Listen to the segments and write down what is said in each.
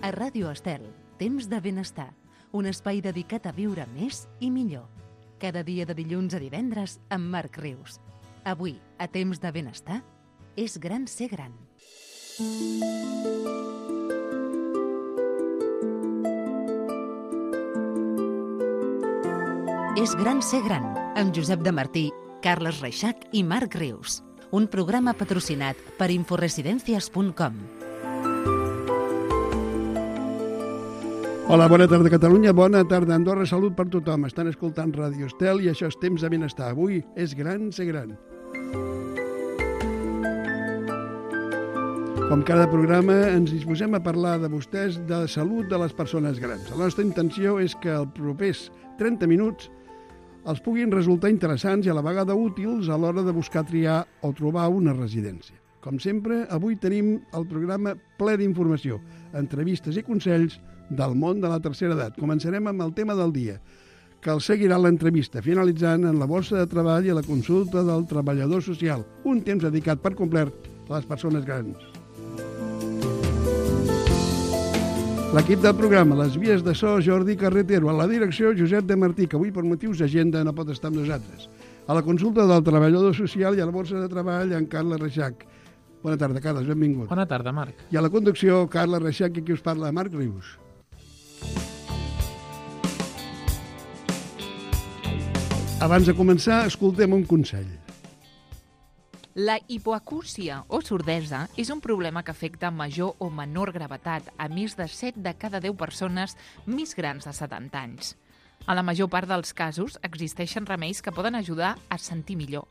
A Ràdio Estel, Temps de Benestar, un espai dedicat a viure més i millor. Cada dia de dilluns a divendres amb Marc Rius. Avui, a Temps de Benestar, és gran ser gran. És gran ser gran, amb Josep de Martí, Carles Reixac i Marc Rius. Un programa patrocinat per inforesidencias.com. Hola, bona tarda Catalunya, bona tarda Andorra, salut per tothom. Estan escoltant Ràdio Estel i això és Temps de Benestar. Avui és gran ser gran. Com cada programa, ens disposem a parlar de vostès de la salut de les persones grans. La nostra intenció és que els propers 30 minuts els puguin resultar interessants i a la vegada útils a l'hora de buscar, triar o trobar una residència. Com sempre, avui tenim el programa ple d'informació, entrevistes i consells del món de la tercera edat. Començarem amb el tema del dia, que el seguirà l'entrevista, finalitzant en la borsa de treball i la consulta del treballador social, un temps dedicat per complet a les persones grans. L'equip del programa, les vies de so, Jordi Carretero, a la direcció, Josep de Martí, que avui per motius d'agenda no pot estar amb nosaltres. A la consulta del treballador social i a la borsa de treball, en Carles Reixac. Bona tarda, Carles, benvingut. Bona tarda, Marc. I a la conducció, Carles Reixac, i qui us parla, Marc Rius. Abans de començar, escoltem un consell. La hipoacúsia o sordesa és un problema que afecta amb major o menor gravetat a més de 7 de cada 10 persones més grans de 70 anys. A la major part dels casos existeixen remeis que poden ajudar a sentir millor.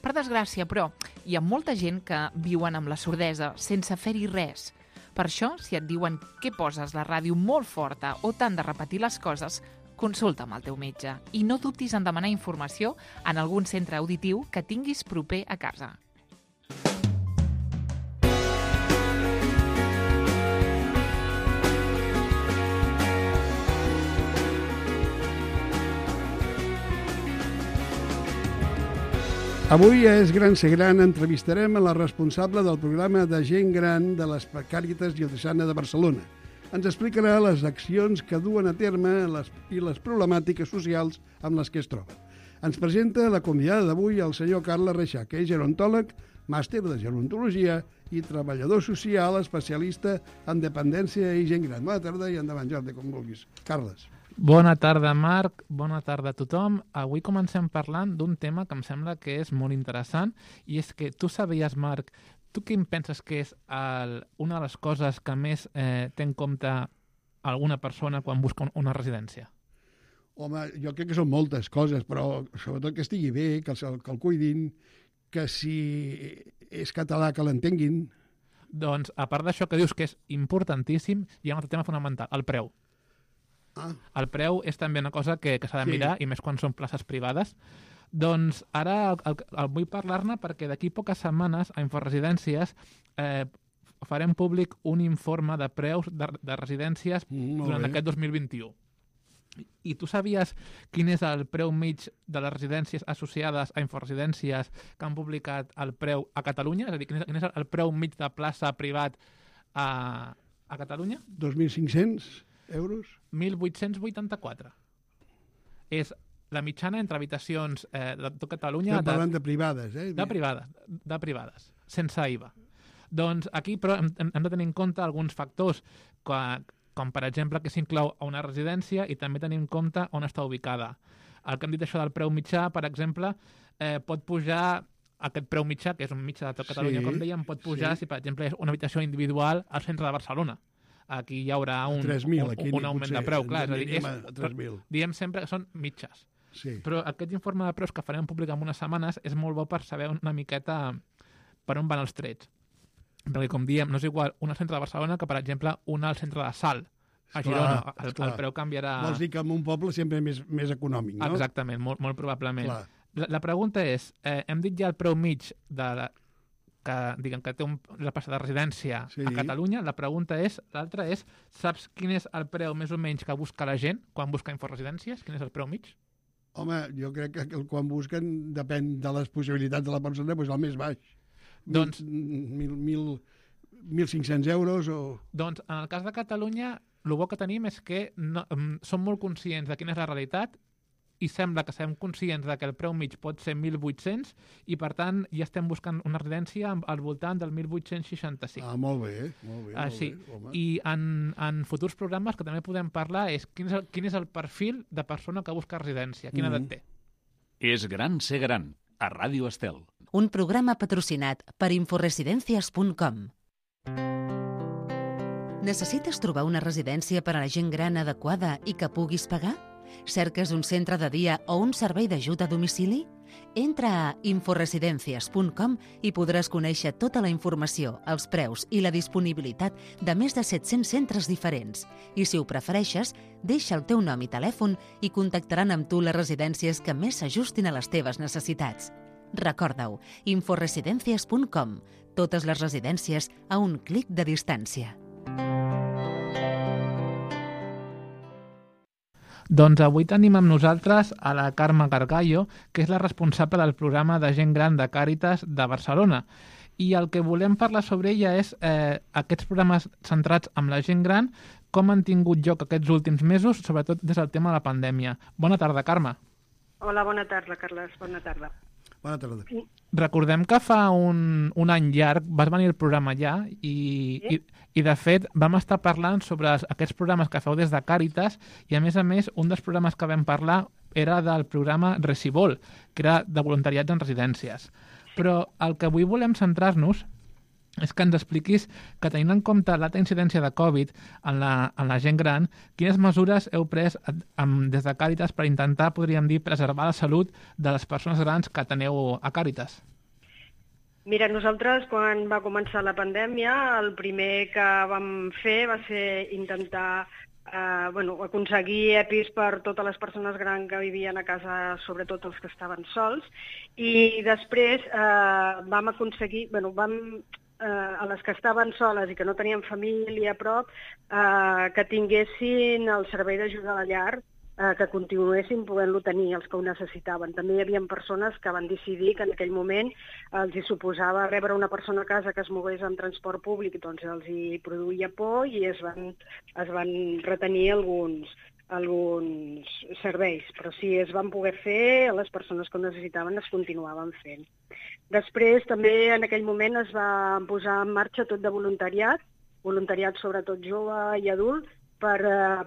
Per desgràcia, però, hi ha molta gent que viuen amb la sordesa sense fer-hi res. Per això, si et diuen que poses la ràdio molt forta o t'han de repetir les coses, consulta amb el teu metge i no dubtis en demanar informació en algun centre auditiu que tinguis proper a casa. Avui és Gran ser gran, entrevistarem a la responsable del programa de gent gran de les Càritas Diocesana de Barcelona. Ens explicarà les accions que duen a terme i les problemàtiques socials amb les que es troben. Ens presenta la convidada d'avui el senyor Carles Reixac, que és gerontòleg, màster de gerontologia i treballador social especialista en dependència i gent gran. Bona tarda i endavant, Jordi, com vulguis. Carles. Bona tarda, Marc. Bona tarda a tothom. Avui comencem parlant d'un tema que em sembla que és molt interessant i és que tu sabies, Marc, tu què em penses que és una de les coses que més té en compte alguna persona quan busca una residència? Home, jo crec que són moltes coses, però sobretot que estigui bé, que el cuidin, que si és català que l'entenguin. Doncs, a part d'això que dius que és importantíssim, hi ha un altre tema fonamental, el preu. El preu és també una cosa que s'ha de mirar, i més quan són places privades. Doncs ara vull parlar-ne perquè d'aquí poques setmanes a Inforesidències farem públic un informe de preus de residències durant aquest 2021. I tu sabies quin és el preu mig de les residències associades a Inforesidències que han publicat el preu a Catalunya? És a dir, quin és el preu mig de plaça privat a Catalunya? 2.500 euros? 1.884. És la mitjana entre habitacions de tot Catalunya... Estem parlant de privades, eh? De privades, sense IVA. Doncs aquí però hem de tenir en compte alguns factors, com per exemple que s'inclou a una residència i també tenir en compte on està ubicada. El que hem dit això del preu mitjà, per exemple, pot pujar aquest preu mitjà, que és un mitjà de tot Catalunya, com dèiem, pot pujar si per exemple és una habitació individual al centre de Barcelona. Aquí hi haurà un augment de preu, clar. És a dir, diem sempre que són mitges. Sí. Però aquest informe de preus que farem públic en unes setmanes és molt bo per saber una miqueta per on van els trets. Perquè, com diem, no és igual un al centre de Barcelona que, per exemple, un al centre de Salt, a Girona. El preu canviarà... Vols dir que en un poble sempre més econòmic, no? Exactament, molt probablement. Clar. La pregunta és, hem dit ja el preu mig que té una plaça de residència a Catalunya. La pregunta és, l'altra és, saps quin és el preu més o menys que busca la gent quan busca Inforesidències? Quin és el preu mig? Home, jo crec que quan busquen depèn de les possibilitats de la persona, doncs el més baix. Doncs... 1.500 euros o... Doncs en el cas de Catalunya, el bo que tenim és que som molt conscients de quina és la realitat i sembla que serem conscients de que el preu mig pot ser 1.800 i, per tant, ja estem buscant una residència al voltant del 1.865. Ah, molt bé, molt bé. Sí. I en futurs programes que també podem parlar és quin és el perfil de persona que busca residència, quina edat té. És gran ser gran, a Ràdio Estel. Un programa patrocinat per inforesidencias.com. Necessites trobar una residència per a la gent gran adequada i que puguis pagar? Cerques un centre de dia o un servei d'ajuda a domicili? Entra a inforesidencias.com i podràs conèixer tota la informació, els preus i la disponibilitat de més de 700 centres diferents. I si ho prefereixes, deixa el teu nom i telèfon i contactaran amb tu les residències que més s'ajustin a les teves necessitats. Recorda-ho, inforesidencias.com. Totes les residències a un clic de distància. Doncs avui tenim amb nosaltres a la Carme Gargallo, que és la responsable del programa de gent gran de Càritas de Barcelona. I el que volem parlar sobre ella és aquests programes centrats en la gent gran, com han tingut lloc aquests últims mesos, sobretot des del tema de la pandèmia. Bona tarda, Carme. Hola, bona tarda, Carles. Bona tarda. Bona tarda. Recordem que fa un any llarg vas venir al programa ja i de fet vam estar parlant sobre aquests programes que feu des de Càritas i a més, un dels programes que vam parlar era del programa Recibol, que era de voluntariats en residències. Però el que avui volem centrar-nos és que ens expliquis que, tenint en compte l'alta incidència de Covid en la gent gran, quines mesures heu pres des de Càritas per intentar, podríem dir, preservar la salut de les persones grans que teniu a Càritas? Mira, nosaltres, quan va començar la pandèmia, el primer que vam fer va ser intentar aconseguir EPIs per totes les persones grans que vivien a casa, sobretot els que estaven sols, i després vam aconseguir, a les que estaven soles i que no tenien família a prop, que tinguessin el servei d'ajuda a la llar, que continuessin podent-lo tenir els que ho necessitaven. També hi havia persones que van decidir que en aquell moment els hi suposava rebre una persona a casa que es mogués en transport públic, doncs els hi produïa por i es van retenir alguns serveis, però si es van poder fer, les persones que ho necessitaven es continuaven fent. Després també en aquell moment es va posar en marxa tot de voluntariat sobretot jove i adult, per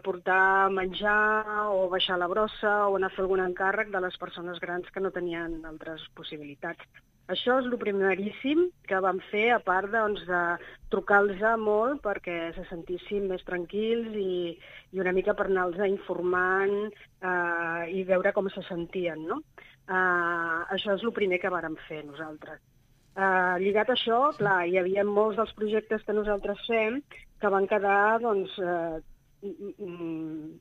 portar menjar o baixar la brossa o anar a fer algun encàrrec de les persones grans que no tenien altres possibilitats. Això és el primeríssim que vam fer, a part de trucar-los molt perquè se sentissin més tranquils i una mica per anar-los informant i veure com se sentien, no? Això és el primer que vàrem fer nosaltres. Lligat a això, clar, hi havia molts dels projectes que nosaltres fem que van quedar,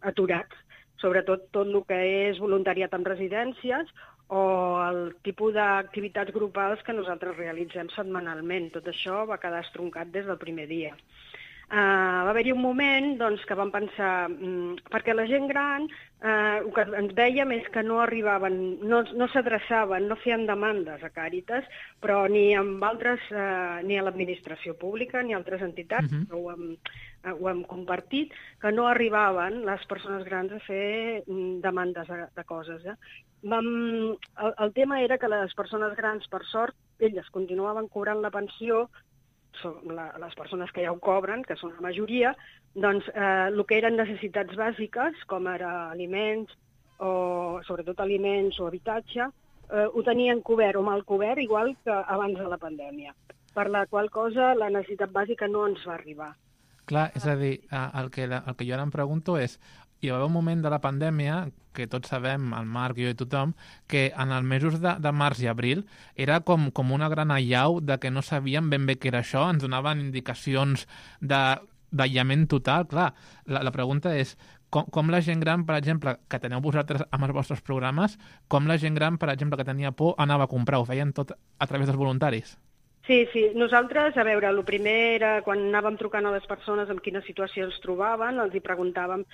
aturats, sobretot tot el que és voluntariat en residències o el tipus d'activitats grupals que nosaltres realitzem setmanalment. Tot això va quedar estroncat des del primer dia. Va haver-hi un moment que vam pensar, perquè la gent gran el que ens dèiem és que no arribaven, no s'adreçaven, no feien demandes a Càritas, però ni amb altres, ni a l'administració pública ni a altres entitats, ho hem compartit, que no arribaven les persones grans a fer demandes de coses. El tema era que les persones grans, per sort, elles continuaven cobrant la pensió, les persones que ja ho cobren, que són la majoria, doncs el que eren necessitats bàsiques, com ara aliments, o sobretot aliments o habitatge, ho tenien cobert o mal cobert, igual que abans de la pandèmia. Per la qual cosa la necessitat bàsica no ens va arribar. Clar, és a dir, el que jo ara em pregunto és, hi va haver un moment de la pandèmia, que tots sabem, el Marc, jo i tothom, que en els mesos de març i abril era com una gran allau de que no sabíem ben bé què era això, ens donaven indicacions d'aïllament total. Clar, la pregunta és, com la gent gran, per exemple, que teniu vosaltres amb els vostres programes, com la gent gran, per exemple, que tenia por, anava a comprar? Ho feien tot a través dels voluntaris? Sí, nosaltres, a veure, el primer era quan anàvem trucant a les persones en quina situació es trobaven, els hi preguntàvem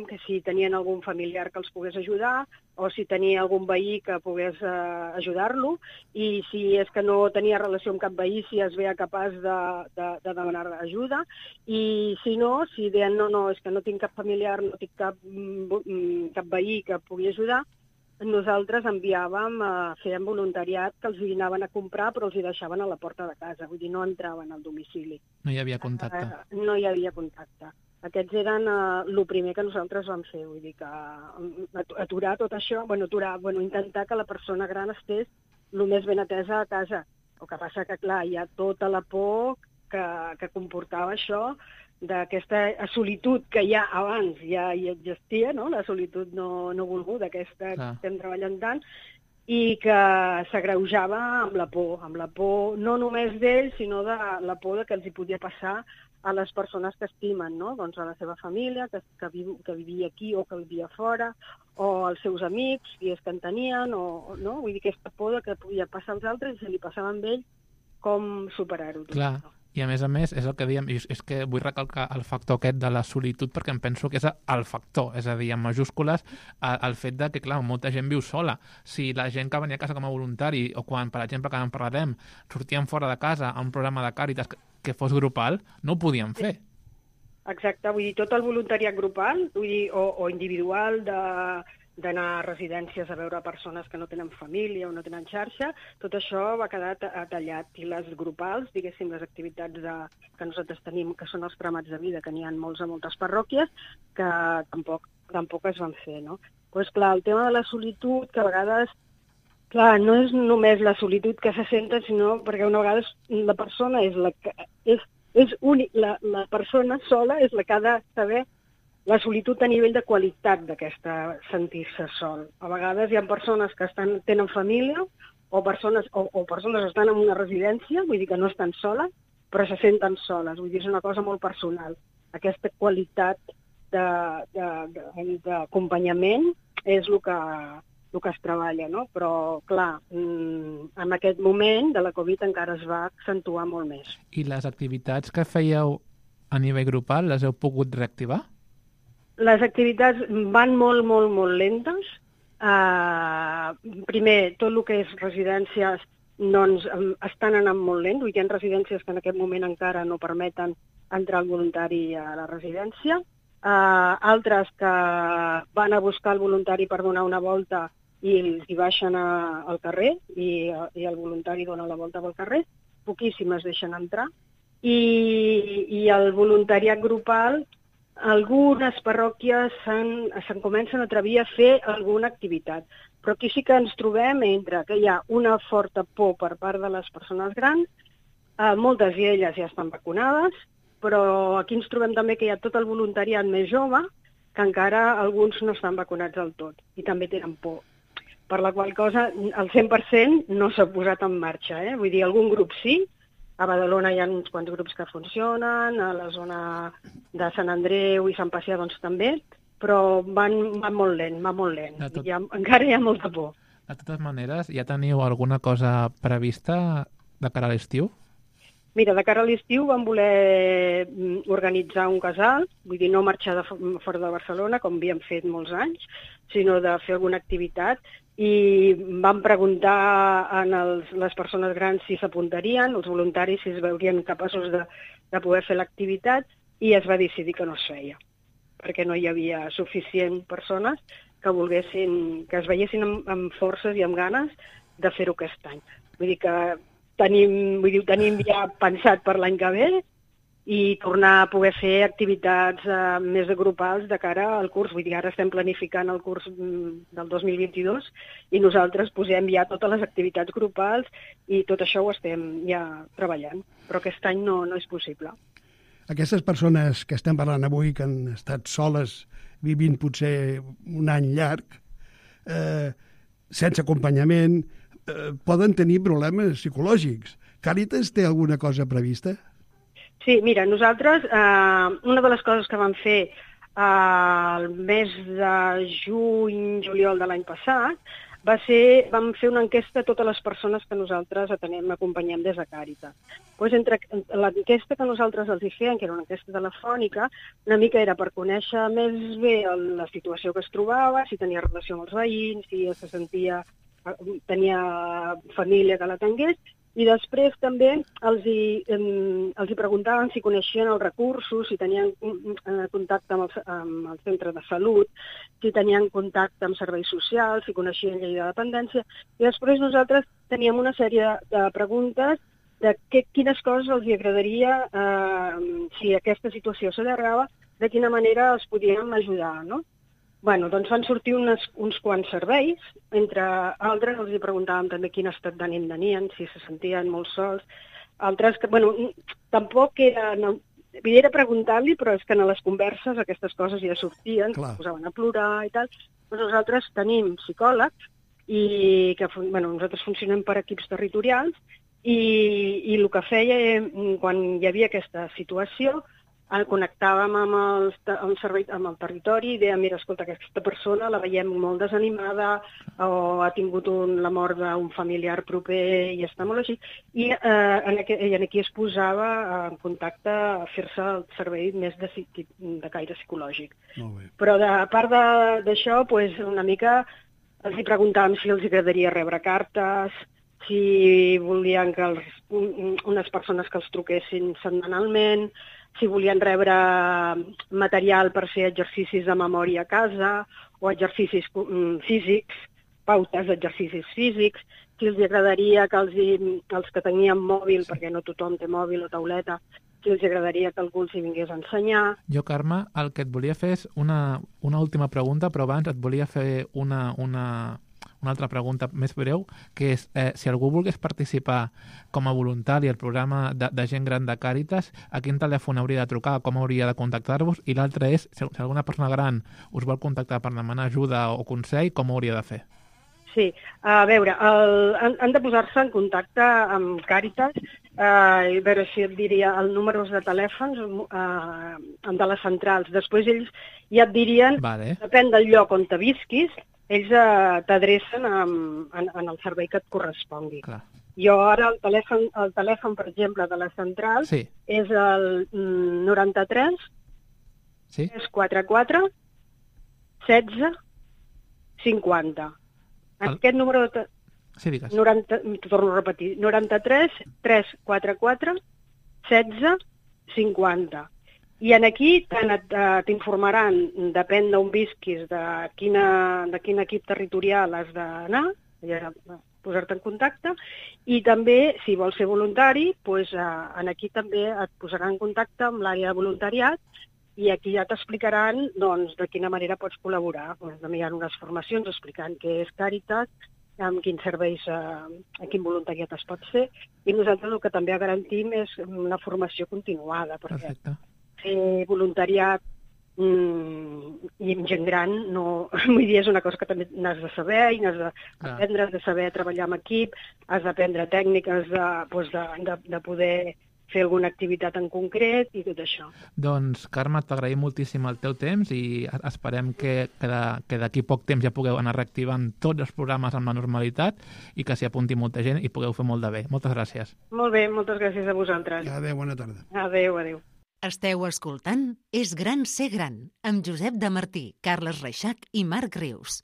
que si tenien algun familiar que els pogués ajudar o si tenia algun veí que pogués ajudar-lo, i si és que no tenia relació amb cap veí, si es veia capaç de demanar ajuda, i si no, si deien no, és que no tinc cap familiar, no tinc cap veí que pugui ajudar, nosaltres enviàvem, fèiem voluntariat que els anaven a comprar però els hi deixaven a la porta de casa, vull dir, no entraven al domicili. No hi havia contacte. No hi havia contacte. Aquests eren el primer que nosaltres vam fer, vull dir que aturar tot això, intentar que la persona gran estés el més ben atesa a casa. El que passa que, clar, hi ha tota la por que comportava això, d'aquesta solitud que ja abans ja hi existia, no? La solitud no volguda, aquesta que estem treballant tant, i que s'agreujava amb la por no només d'ells, sinó de la por que els hi podia passar a les persones que estimen, no? Doncs a la seva família, que vivia aquí o que vivia fora, o als seus amics, i és que en tenien, no? Vull dir, aquesta por que podia passar als altres i si li passava amb ell, com superar-ho. Clar. I a més, és el que dèiem, és que vull recalcar el factor aquest de la solitud perquè em penso que és el factor, és a dir, en majúscules, el fet de que, clar, molta gent viu sola. Si la gent que venia a casa com a voluntari o quan, per exemple, que en parlarem, sortien fora de casa a un programa de Càritas que fos grupal, no ho podien fer. Exacte, vull dir, tot el voluntariat grupal, vull dir, o individual d'anar a residències a veure persones que no tenen família o no tenen xarxa, tot això va quedar tallat. I les grupals, diguéssim, les activitats que nosaltres tenim, que són els cremats de vida, que n'hi ha molts a moltes parròquies, que tampoc es van fer, no? Doncs clar, el tema de la solitud, que a vegades, clar, no és només la solitud que se senten, sinó perquè una vegada la persona és la que és únic, la persona sola és la que ha de saber la solitud a nivell de qualitat d'aquesta sentir-se sol. A vegades hi ha persones que tenen família o persones que estan en una residència, vull dir que no estan soles, però se senten soles. Vull dir, és una cosa molt personal. Aquesta qualitat d'acompanyament és el que es treballa, no? Però, clar, en aquest moment de la Covid encara es va accentuar molt més. I les activitats que fèieu a nivell grupal les heu pogut reactivar? Les activitats van molt, molt, molt lentes. Primer, tot el que és residències doncs, estan anant molt lent. Hi ha residències que en aquest moment encara no permeten entrar el voluntari a la residència. Altres que van a buscar el voluntari per donar una volta i els hi baixen al carrer i el voluntari dona la volta pel carrer. Poquíssimes deixen entrar. I el voluntariat grupal, algunes parròquies se'n comencen a atrevir a fer alguna activitat, però aquí sí que ens trobem entre que hi ha una forta por per part de les persones grans, moltes d'elles ja estan vacunades, però aquí ens trobem també que hi ha tot el voluntariat més jove, que encara alguns no estan vacunats del tot i també tenen por. Per la qual cosa, el 100% no s'ha posat en marxa. Vull dir, algun grup sí. A Badalona hi ha uns quants grups que funcionen, a la zona de Sant Andreu i Sant Pacià doncs també, però van molt lent, encara hi ha molta por. De totes maneres, ja teniu alguna cosa prevista de cara a l'estiu? Mira, de cara a l'estiu vam voler organitzar un casal, vull dir, no marxar fora de Barcelona, com havíem fet molts anys, sinó de fer alguna activitat, i vam preguntar a les persones grans si s'apuntarien, els voluntaris si es veurien capaços de poder fer l'activitat, i es va decidir que no es feia, perquè no hi havia suficient persones que es veiessin amb forces i amb ganes de fer-ho aquest any. Vull dir que ho tenim ja pensat per l'any que ve, i tornar a poder fer activitats més grupals de cara al curs. Vull dir, ara estem planificant el curs del 2022 i nosaltres posem ja totes les activitats grupals i tot això ho estem ja treballant, però aquest any no és possible. Aquestes persones que estem parlant avui, que han estat soles vivint potser un any llarg, sense acompanyament, poden tenir problemes psicològics. Càritas té alguna cosa prevista? Sí, mira, nosaltres, una de les coses que vam fer el mes de juny-juliol de l'any passat, vam fer una enquesta a totes les persones que nosaltres acompanyem des de Càritas. Doncs entre l'enquesta que nosaltres els hi fèiem, que era una enquesta telefònica, una mica era per conèixer més bé la situació que es trobava, si tenia relació amb els veïns, si tenia família que l'atengués, i després també els hi preguntaven si coneixien els recursos, si tenien contacte amb el centre de salut, si tenien contacte amb serveis socials, si coneixien llei de dependència, i després nosaltres teníem una sèrie de preguntes de quines coses els agradaria, si aquesta situació s'allargava, de quina manera els podíem ajudar, no? Bueno, doncs van sortir uns quants serveis, entre altres els hi preguntàvem també quin estat d'ànim tenien, si se sentien molt sols, altres que, bueno, tampoc era preguntar-li, però és que en les converses aquestes coses ja sortien, es posaven a plorar i tal. Nosaltres tenim psicòlegs i que, bueno, nosaltres funcionem per equips territorials i el que feia quan hi havia aquesta situació, el connectàvem amb el territori i dèiem, mira, escolta, aquesta persona la veiem molt desanimada o ha tingut la mort d'un familiar proper i està molt així. I aquí es posava en contacte a fer-se el servei més de caire psicològic. Però a part d'això, una mica els hi preguntàvem si els agradaria rebre cartes, si volien que unes persones que els truquessin setmanalment, si volien rebre material per fer exercicis de memòria a casa o exercicis físics, pautes d'exercicis físics, si els agradaria que els que tenien mòbil, perquè no tothom té mòbil o tauleta, si els agradaria que algú els hi vingués a ensenyar. Jo, Carme, el que et volia fer és una última pregunta, però abans et volia fer una altra pregunta més breu, que és si algú volgués participar com a voluntari al programa de gent gran de Càritas, a quin telèfon hauria de trucar, com hauria de contactar-vos? I l'altre és, si alguna persona gran us vol contactar per demanar ajuda o consell, com ho hauria de fer? Sí, a veure, han de posar-se en contacte amb Càritas, a veure si et diria el número de telèfons de les centrals. Després ells ja et dirien, depèn del lloc on te visquis, ells t'adrecen en el servei que et correspongui. Clar. Jo ara el telèfon, per exemple, de la central és el 93 344 16 50. Aquest número de... Sí, digues. Torno a repetir. 93 344 16 50. I aquí t'informaran, depèn d'on visquis, de quin equip territorial has d'anar, posar-te en contacte, i també, si vols ser voluntari, aquí també et posaran en contacte amb l'àrea de voluntariat i aquí ja t'explicaran de quina manera pots col·laborar. També hi ha unes formacions explicant què és Càritas, amb quins serveis, a quin voluntariat es pot fer, i nosaltres el que també garantim és una formació continuada, perquè fer voluntariat i amb gent gran vull dir, és una cosa que també n'has de saber i n'has d'aprendre, has de saber treballar amb equip, has d'aprendre tècniques de poder fer alguna activitat en concret i tot això. Doncs, Carme, t'agraïm moltíssim el teu temps i esperem que d'aquí poc temps ja pugueu anar reactivant tots els programes amb la normalitat i que s'hi apunti molta gent i pugueu fer molt de bé. Moltes gràcies. Molt bé, moltes gràcies a vosaltres. Adéu, bona tarda. Adéu, adéu. Esteu escoltant És gran ser gran, amb Josep de Martí, Carles Reixac i Marc Rius.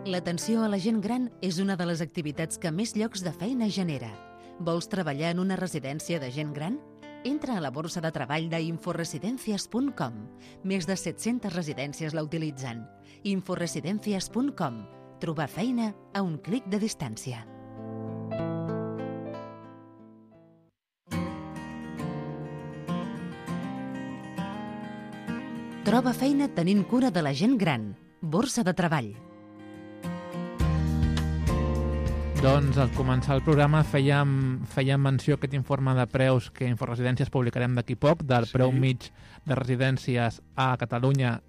L'atenció a la gent gran és una de les activitats que més llocs de feina genera. Vols treballar en una residència de gent gran? Entra a la borsa de treball d'inforesidencias.com. Més de 700 residències la utilitzen. Inforesidencias.com. Trobar feina a un clic de distància. Troba feina tenint cura de la gent gran. Borsa de treball. Doncs al començar el programa fèiem menció a aquest informe de preus que Inforesidències publicarem d'aquí poc, del preu mig de residències a Catalunya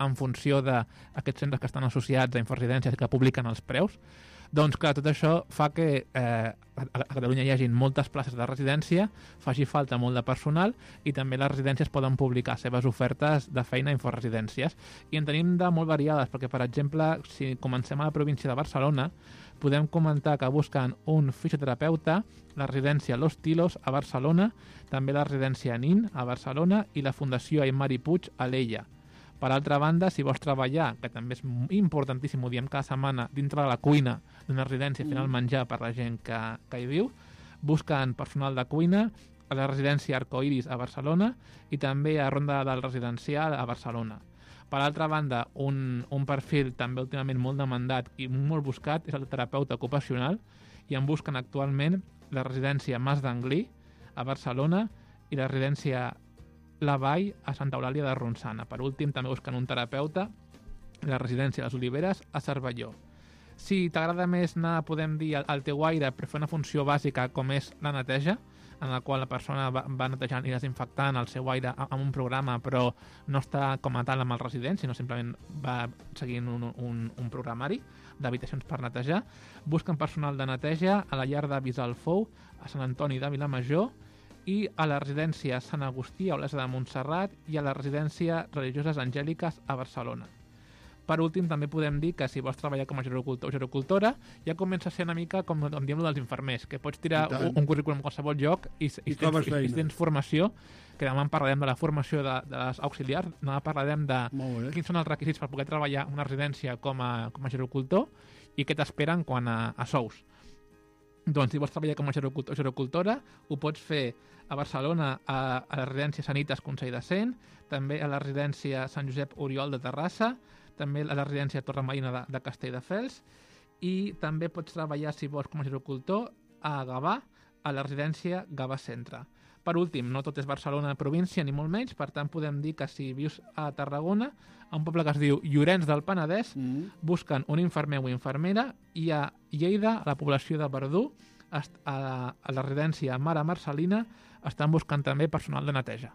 en funció d'aquests centres que estan associats a Inforesidències que publiquen els preus. Doncs clar, tot això fa que a Catalunya hi hagi moltes places de residència, faci falta molt de personal i també les residències poden publicar seves ofertes de feina a Inforesidències. I en tenim de molt variades, perquè, per exemple, si comencem a la província de Barcelona, podem comentar que busquen un fisioterapeuta, la residència Los Tilos a Barcelona, també la residència NIN a Barcelona i la Fundació Aymari Puig a l'Ella. Per altra banda, si vols treballar, que també és importantíssim, ho diem cada setmana, dintre de la cuina d'una residència fent el menjar per la gent que hi viu, busquen personal de cuina a la residència Arcoiris a Barcelona i també a Ronda del Residencial a Barcelona. Per altra banda, un perfil també últimament molt demandat i molt buscat és el terapeuta ocupacional i en busquen actualment la residència Mas d'Anglí a Barcelona i la residència La Vall a Santa Eulàlia de Ronçana. Per últim, també busquen un terapeuta a la residència Les Oliveres a Cervelló. Si t'agrada més anar, podem dir, al teu aire per fer una funció bàsica com és la neteja, en la qual la persona va netejant i desinfectant el seu aire amb un programa, però no està com a tal amb el resident, sinó simplement va seguint un programari d'habitacions per netejar. Busquen personal de neteja a la llar d'avis al Fou, a Sant Antoni de Vilamajor, i a la residència Sant Agustí a Olesa de Montserrat i a la residència Religioses Angèliques a Barcelona. Per últim, també podem dir que si vols treballar com a gerocultor o gerocultora, ja comença a ser una mica com diem dels infermers, que pots tirar un currículum en qualsevol lloc i tens formació, que demà en parlarem de la formació de les auxiliars, demà parlarem de quins són els requisits per poder treballar en una residència com a gerocultor i què t'esperen quan a sous. Doncs si vols treballar com a gerocultor o gerocultora, ho pots fer a Barcelona, a la residència Sanitas Consell de Cent, també a la residència Sant Josep Oriol de Terrassa, també a la residència Torre Marina de Castelldefels, i també pots treballar, si vols, com a gerocultor a Gavà, a la residència Gavà Centre. Per últim, no tot és Barcelona província, ni molt menys, per tant podem dir que si vius a Tarragona, a un poble que es diu Llorenç del Penedès, busquen un infermer o infermera, i a Lleida, a la població de Verdú, a la residència Mare Marcelina, estan buscant també personal de neteja.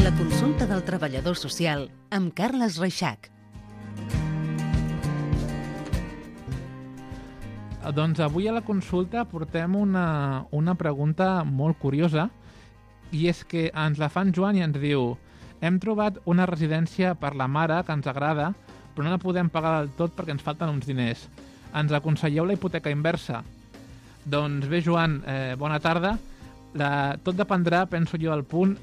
La consulta del treballador social amb Carles Reixac. Doncs avui a la consulta portem una pregunta molt curiosa, i és que ens la fa en Joan i ens diu: hem trobat una residència per la mare que ens agrada, però no la podem pagar del tot perquè ens falten uns diners. Ens aconselleu la hipoteca inversa? Doncs bé, Joan, bona tarda. Tot dependrà, penso jo, al punt,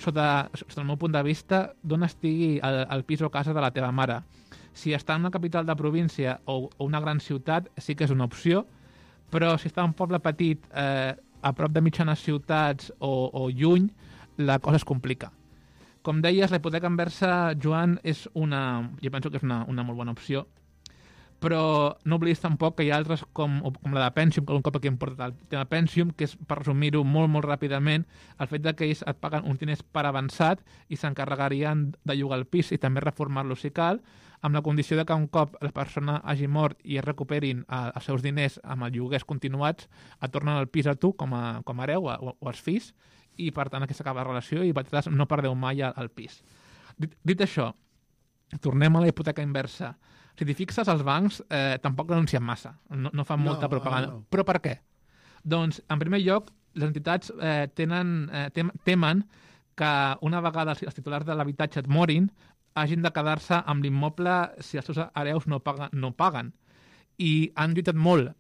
sota el meu punt de vista, d'on estigui el pis o casa de la teva mare. Si està en una capital de província o una gran ciutat, sí que és una opció, però si està en un poble petit, a prop de mitjanes ciutats o lluny, la cosa es complica. Com deies, la hipoteca inversa, Joan, jo penso que és una molt bona opció, però no oblidis tampoc que hi ha altres com la de Pensium, que un cop aquí hem portat el tema Pensium, que és, per resumir-ho molt, molt ràpidament, el fet que ells et paguen uns diners per avançat i s'encarregarien de llogar el pis i també reformar-lo si cal, amb la condició de que un cop la persona hagi mort i es recuperin els seus diners amb els lloguers continuats, et tornen el pis a tu com a hereu o als fills, i per tant aquí s'acaba la relació i vosaltres no perdeu mai el pis. Dit això, tornem a la hipoteca inversa. Si t'hi fixes, els bancs tampoc denuncien massa, no fan molta propaganda. No. Però per què? Doncs, en primer lloc, les entitats temen que una vegada els titulars de l'habitatge et morin, hagin de quedar-se amb l'immoble si els seus hereus no paguen. I han lluitat molt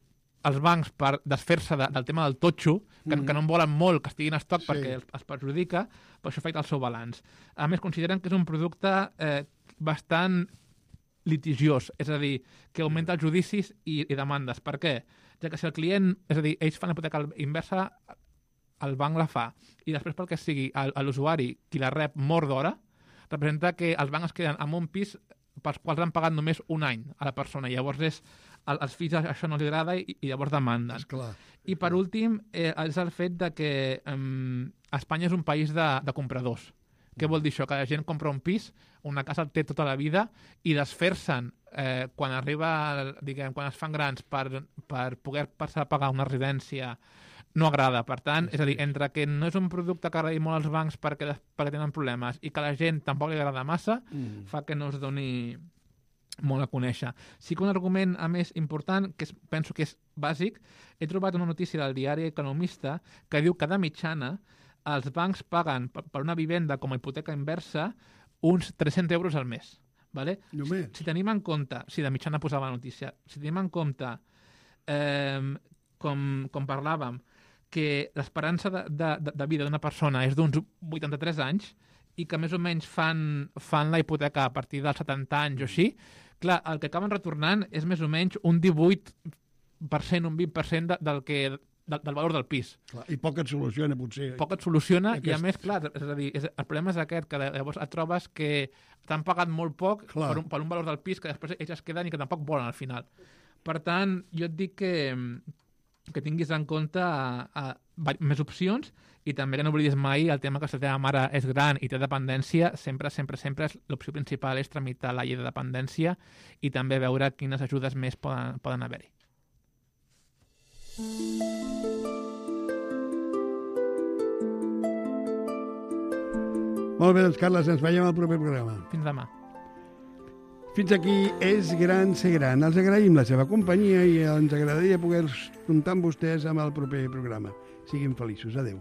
els bancs per desfer-se del tema del totxo, que no en volen molt, que estiguin en estoc perquè els perjudica, però això afecta el seu balanç. A més, consideren que és un producte bastant litigiós, és a dir, que augmenta els judicis i demandes. Per què? Ja que si el client, és a dir, ells fan hipoteca inversa, el banc la fa, i després pel que sigui l'usuari qui la rep mort d'hora, representa que els bancs es queden amb un pis pels quals han pagat només un any a la persona. Llavors als fills això no els agrada i llavors demanden. I per últim és el fet de que Espanya és un país de compradors. Què vol dir això? Que la gent compra un pis, una casa el té tota la vida i desfer-se'n quan quan es fan grans per poder passar a pagar una residència no agrada. Per tant, és a dir, entre que no és un producte que agradi molt als bancs perquè tenen problemes i que a la gent tampoc li agrada massa, fa que no es doni molt a conèixer. Sí que un argument, a més, important, que penso que és bàsic, he trobat una notícia del diari Economista que diu que de mitjana els bancs paguen per una vivenda com a hipoteca inversa uns 300 euros al mes. Vale? Si tenim en compte, si de mitjana posava la notícia, si tenim en compte, com parlàvem, que l'esperança de vida d'una persona és d'uns 83 anys i que més o menys fan la hipoteca a partir dels 70 anys o així, clar, el que acaben retornant és més o menys un 18%, un 20% del valor del pis. Clar, i poc et soluciona, potser. Poc et soluciona i, a més, clar, és a dir, el problema és aquest, que llavors et trobes que t'han pagat molt poc per un valor del pis que després ells es queden i que tampoc volen al final. Per tant, jo et dic que tinguis en compte més opcions i també que no oblidis mai el tema que si la teva mare és gran i té dependència, sempre l'opció principal és tramitar la llei de dependència i també veure quines ajudes més poden haver-hi. Molt bé, doncs, Carles, ens veiem al proper programa. Fins demà. Fins aquí És Gran Ser Gran. Els agraïm la seva companyia i ens agradaria poder comptar amb vostès amb el proper programa. Siguin feliços. Adéu.